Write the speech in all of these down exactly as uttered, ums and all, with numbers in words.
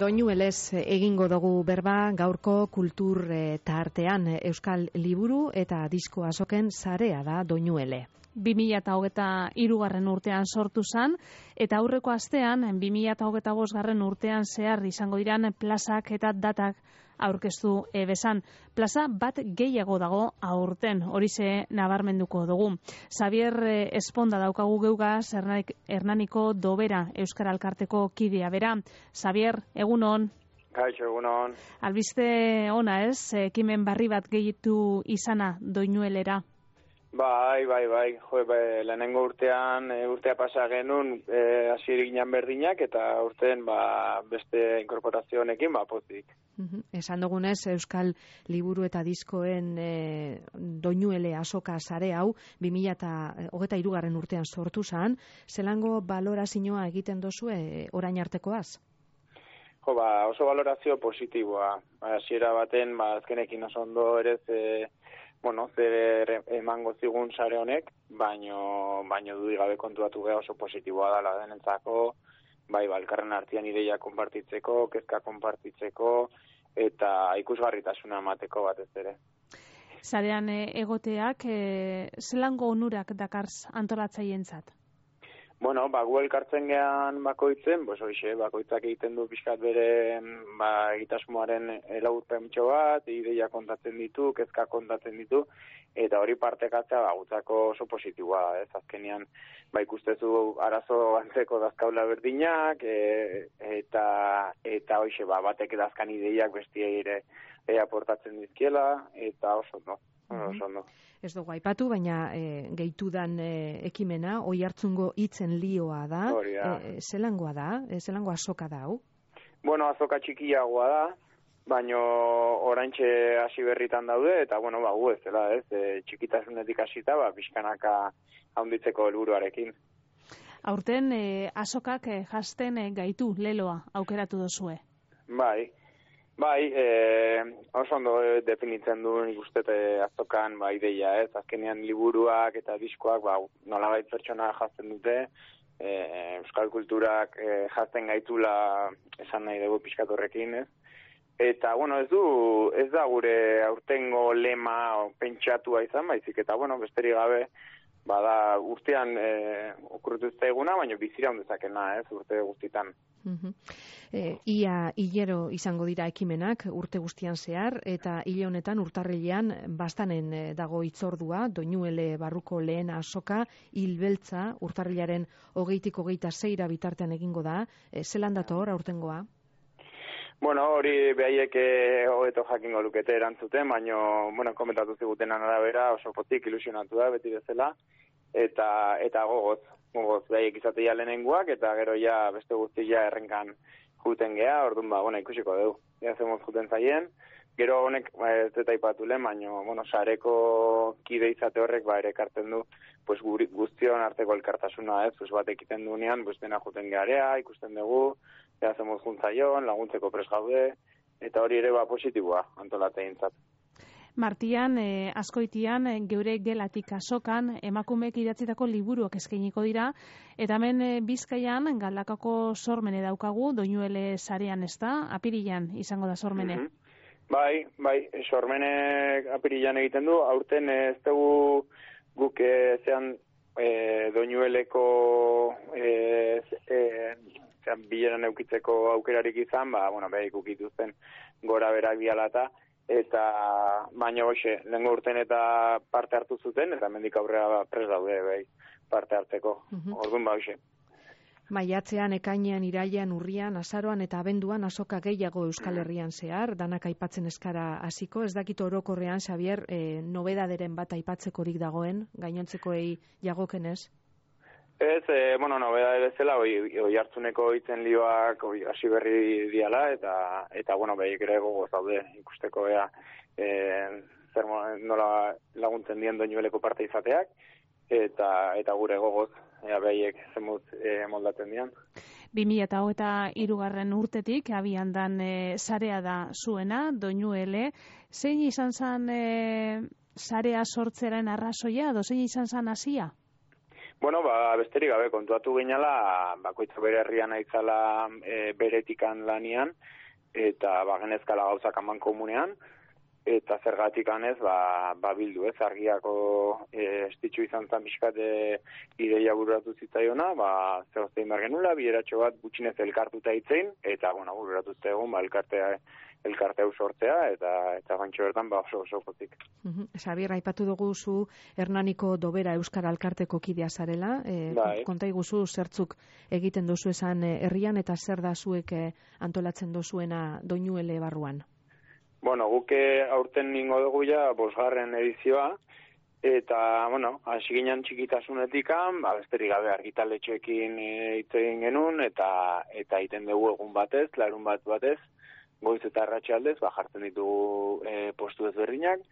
Doinuelez egingo dugu berba gaurko kultur e, tartean Euskal Liburu eta Disko Azoken sarea da Doinuele. bi mila hogeita hirugarren urtean sortu zen, eta aurreko astean bi mila hogeita bosgarren urtean zehar izango diran plazak eta datak aurkeztu ebezan. Plaza bat gehiago dago aurten, horixe nabarmenduko dugu. Xavier Esponda daukagu geugaz, Hernaniko Dobera Euskara Elkarteko kidea bera. Xavier, egunon. Kaixo, egunon. Albiste ona ez, ekimen barri bat gehitu izana Doinuelera? Bai, bai, bai, jo, bai, lehenengo urtean, e, urtea pasa genuen, e, hasirik ginen berdinak, eta urtean, ba, beste inkorporazio honekin, ba, pozik. Uh-huh. Esan dugunez, Euskal Liburu eta Diskoen e, Doinuele azoka sare hau, bi mila hogeita hirugarren urtean sortu zen, zelango balorazioa egiten dozu e, orain artekoaz? Jo, ba, oso balorazio positiboa. Hasiera baten, ba, azkenekin oso ondo ere, e, bueno, zer emango zigun sare honek, baino, baino dudik gabe kontuatu geha oso positiboa dela denentzako, bai, balkarren artean ideia konpartitzeko, kezka konpartitzeko, eta ikusgarritasuna emateko batez ere. Sarean egoteak, e, zelango onurak dakarz antolatzaientzat? Bueno, ba, gu elkartzen gehan bakoitzen, bos hoxe, bakoitzak egiten du pixkat bere ba, egitasmoaren elaburpentxo bat, ideia kontatzen ditu, kezka kontatzen ditu, eta hori partekatzea ba, gutzako oso positiboa, ez azkenean, ba, ikustezu arazo antzeko dazkaula berdinak, e, eta eta hoxe, ba, batek dazkan ideiak bestia ere e, aportatzen dizkiela, eta oso no. Mm-hmm. Oso no. Ez dugu aipatu, baina e, gehitudan e, ekimena, oi hartzungo hitzen lioa da, e, zelangoa da, e, zelango azoka da, hau? Bueno, azoka txikiagoa da, baino oraintxe hasi berritan daude, eta bueno, ba, gu ez dela, ez, e, txikitasunetik hasita, ba, pixkanaka haunditzeko helburuarekin. Aurten e, azokak e, jasten e, gaitu leloa aukeratu dozue? Bai. Bai, e, oso ondo definitzen du nik uste azokan ba, ideia, ez? Azkenean liburuak eta diskoak ba, nolabait pertsona jazten dute, e, euskal kulturak e, jazten gaitula esan nahi dugu pixkat horrekin, ez? Eta, bueno, ez du, ez da gure aurtengo lema pentsatua izan, baizik, eta, bueno, besterik gabe, bada urtean e, okurritu ez eguna, baina bizira ondezakena, ez, urte guztitan. Uh-huh. E, ia hilero izango dira ekimenak urte guztian zehar, eta hile honetan urtarrilean bastanen dago hitzordua, Doinuele barruko lehen azoka, hilbeltza, urtarrilaren hogeitik hogeita zeira bitartean egingo da, e, zelan dator aurtengoa? Bueno, hori behaiek hobeto jakingo lukete erantzuten, baina, bueno, komentatu zigutenan arabera oso pozik ilusionatu da, beti bezala, eta, eta gogoz, gogoz, behaiek izatea lehenengoak, eta gero ja beste guztia errenkan juten geha, orduan ba, bueno, ikusiko dugu, ja zemoz juten zaien, gero honek, ez eta ipatu lehen, baina, bueno, sareko kide izate horrek, ba, ere kartzen du, pues, guztion arteko elkartasuna, ez, pues, bat ekiten duenean, pues, dena juten geharea, ikusten dugu, ja zemoz juntzaion, laguntzeko pres gaude, eta hori ere ba positiboa antolatzaientzat. Martian, eh, askoitian, geure gelatik azokan, emakumeek idatzitako liburuak eskainiko dira, eta hemen eh, Bizkaian, Galdakako sormene daukagu, Doinuele sarean ez da, apirilan izango da sormene. Mm-hmm. Bai, bai, sormene apirilan egiten du, aurten ez dugu guk eh, zean eh, Doinueleko eh, eh, bileran eukitzeko aukerarik izan, ba, bueno, behik ukituzten gora berak bialata, eta baina hoxe, lehenko urten eta parte hartu zuten, eta mendik aurrera pres daude, behi, parte hartzeko, uh-huh. Orduan ba hoxe. Maiatzean, ekainean, irailean, urrian, azaroan eta abenduan azoka gehiago Euskal Herrian zehar, danak aipatzen eskara hasiko, ez dakit orokorrean, Xavier, eh, nobedaderen bat aipatzekorik dagoen, gainontzekoei jagokenez? Ez, e, bueno, nobeda bezala, oi, oi hartzuneko hitzen lioak hasi berri diala, eta, eta bueno, behik ere gogoz daude ikusteko ea, e, zer nola laguntzen dien Doinueleko parte izateak, eta, eta gure gogoz, ea behiek zemuz e, moldatzen dian. bi mila hogeita hirugarren urtetik, abian dan e, sarea da zuena, Doinuele, zein izan zan e, sarea sortzeren arrazoia, edo zein izan zan hasia? Bueno, ba, besterik gabe kontuatu ginela, bakoitza bere herrian aitzala e, beretikan lanian, eta ba, genezkala gauzak aman komunean, eta zergatik anez, ba, ba bildu, ez, argiako e, estitxu izan zan pixkat e, ideia bururatu zitzaiona, ba, zehoztein behar genula, bideratxo bat gutxinez elkartuta hitzein, eta, bueno, bururatu zegoen, ba, elkartea, elkarte hau sortzea, eta eta gantxo bertan, ba, oso oso pozik. Uh-huh. Xabier, aipatu dugu zu Hernaniko Dobera Euskara Alkarteko kidea zarela, e, bai. Konta iguzu zertzuk egiten duzu esan herrian, eta zer da zuek antolatzen dozuena Doinuele barruan? Bueno, guke aurten ningo dugu ja bosgarren edizioa, eta, bueno, hasi ginen txikitasунetikan, ba, besterik gabe argitaletxeekin hitz egin genuen, eta eta egiten dugu egun batez, larun bat batez, goiz eta arratsaldez, ba, jartzen ditugu e, postu ezberdinak,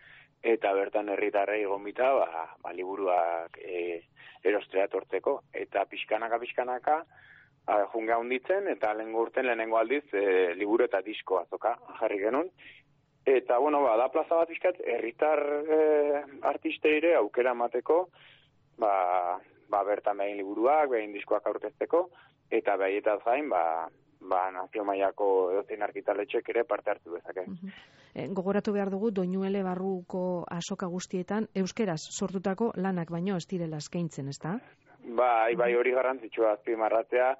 eta bertan herritarrei gomita, ba, ba, liburuak e, erostrea tortzeko. Eta pixkanaka, pixkanaka, junga hunditzen, eta lehengo urten lehenengo aldiz, e, liburu eta disko azoka jarri genuen. Eta, bueno, ba, da plaza bat pixkat, herritar e, artisteire aukera emateko, ba, ba, bertan behin liburuak, behin diskoak aurkezteko, eta behietaz gain, ba, ba, nazio mailako edozein argitaletxek ere parte hartu dezake. Uh-huh. E, gogoratu behar dugu, Doinuele barruko azoka guztietan, euskeraz sortutako lanak baino ez direla eskaintzen, ezta? Bai, bai hori garrantzitsua azpimarratzea,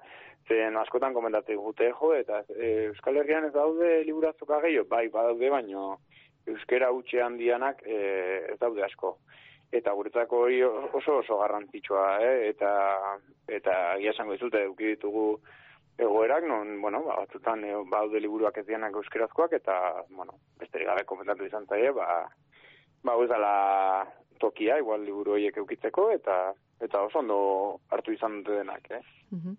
zen askotan komentatzen gute jo, eta e, Euskal Herrian ez daude liburazoka gehiago, bai, badaude, baino euskera utxe handianak e, ez daude asko. Eta guretzako hori oso oso garrantzitsua, eh? eta eta egia esango dizute eduki ditugu egoerak, non, bueno, ba, batzutan e, baude liburuak ez dianak euskerazkoak, eta, bueno, besterik gabe komentatu izan zaie, ba, ba, ez dala tokia, igual liburu horiek eukitzeko, eta eta oso ondo hartu izan dute denak, eh? Uh-huh.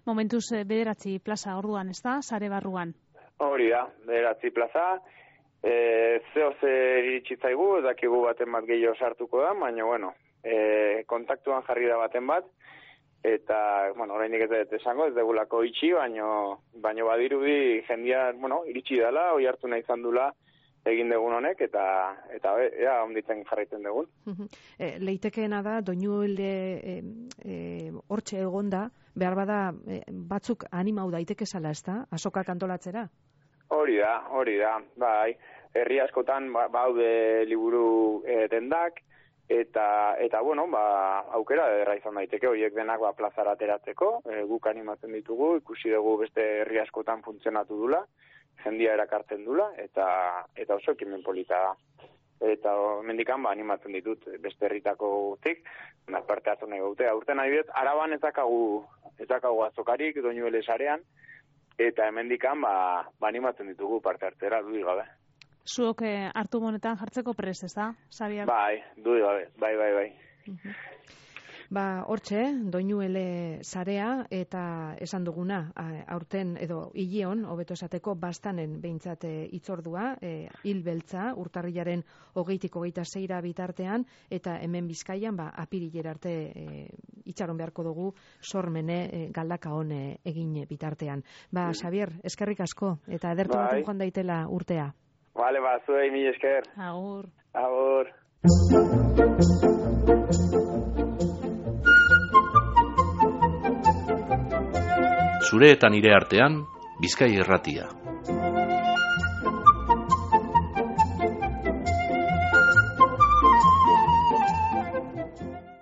Momentuz, bederatzi plaza orduan, ez da, sare barruan? Hori da, bederatzi plaza, e, zeo zer iritsitzaigu, ez dakigu baten bat gehiago sartuko da, baina, bueno, e, kontaktuan jarri da baten bat, eta, bueno, oraindik ez dut esango, ez degulako itxi, baino, baino badirudi jendia, bueno, iritsi dela, oi hartu nahi izan dula egin dugun honek, eta, eta ea, onditzen jarraitzen dugun. E, leitekeena da, Doinuele hortxe e, e, egonda, behar bada e, batzuk animau daiteke zala, ez da? Azokak antolatzera? Hori da, hori da, bai. Herri askotan ba, baude liburu e, dendak, Eta, eta bueno, ba, aukera ederra izan daiteke, horiek denak ba, plazara ateratzeko, e, guk animatzen ditugu, ikusi dugu beste herri askotan funtzionatu dula, jendia erakartzen dula, eta eta oso ekimen polita da. Eta mendikan ba, animatzen ditut beste herritako guztik, parte hartu nahi gaute. Aurten adibidez, Araban ez dakagu, ez dakagu azokarik, Doinuele sarean, eta hemendikan ba, ba, animatzen ditugu parte hartzera, dudik gabe. Zuok eh, hartu monetan jartzeko prest, ez da, Xabier? Bai, dudik gabe, bai, bai, bai. Uh-huh. Ba, hortxe, Doinuele sarea, eta esan duguna, aurten edo hileon, hobeto esateko, bastanen behintzat hitzordua, e, hil beltza, urtarrilaren hogeitik hogeita zeira bitartean, eta hemen Bizkaian, ba, apirilera arte e, itxaron beharko dugu, sormene e, galdaka hon egin bitartean. Ba, Xabier, eskerrik asko, eta edertu baten joan daitela urtea. Vale, ba, zuei mil esker. Agur. Agur. Zure eta nire artean, Bizkai Irratia.